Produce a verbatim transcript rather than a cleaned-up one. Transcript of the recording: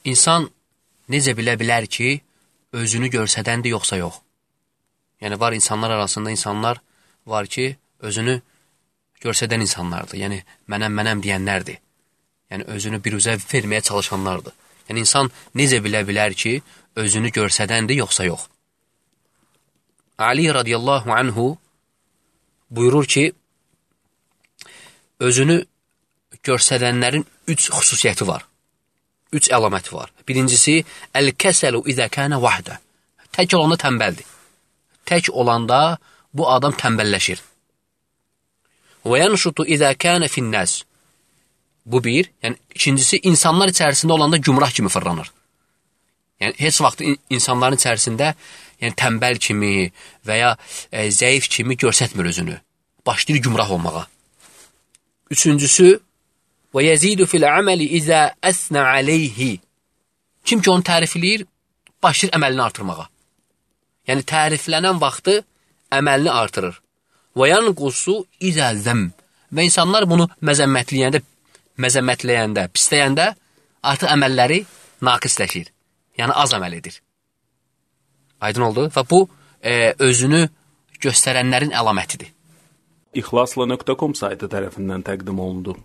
İnsan necə bilə bilər ki, özünü görsədəndir, yoxsa yox? Yəni, var insanlar arasında insanlar var ki, özünü görsədən insanlardır. Yəni, mənəm, mənəm deyənlərdir. Yəni, özünü bir üzə verməyə çalışanlardır. Yəni, insan necə bilə bilər ki, özünü görsədəndir, yoxsa yox? Ali radiyallahu anhu buyurur ki, özünü görsədənlərin üç xüsusiyyəti var. Üç əlaməti var. Birincisi, əl-kəsəlu izə kənə vahdə. Tək olanda tənbəldir. Tək olanda bu adam tənbəlləşir. Və yanşutu izə kənə finnəz. Bu bir. Yəni, ikincisi, insanlar içərisində olanda gümrah kimi fırlanır. Yəni, heç vaxt insanların içərisində yəni, tənbəl kimi və ya e, zəif kimi görsətmir özünü. Başlayır gümrah olmağa. Üçüncüsü, və yəzidu fil əməli izə əsnə aleyhi. Kim ki onu tərifləyir, başlayır əməlini artırmağa. Yəni, təriflənən vaxtı əməlini artırır. Və yanqusu izə zəm. Və insanlar bunu məzəmmətləyəndə, məzəmmətləyəndə, pisləyəndə artıq əməlləri naqisləşir. Yəni, az əməl edir. Aydın oldu? Və bu, e, özünü göstərənlərin əlamətidir. İxlasla nöqtə com saytı tərəfindən təqdim olundu.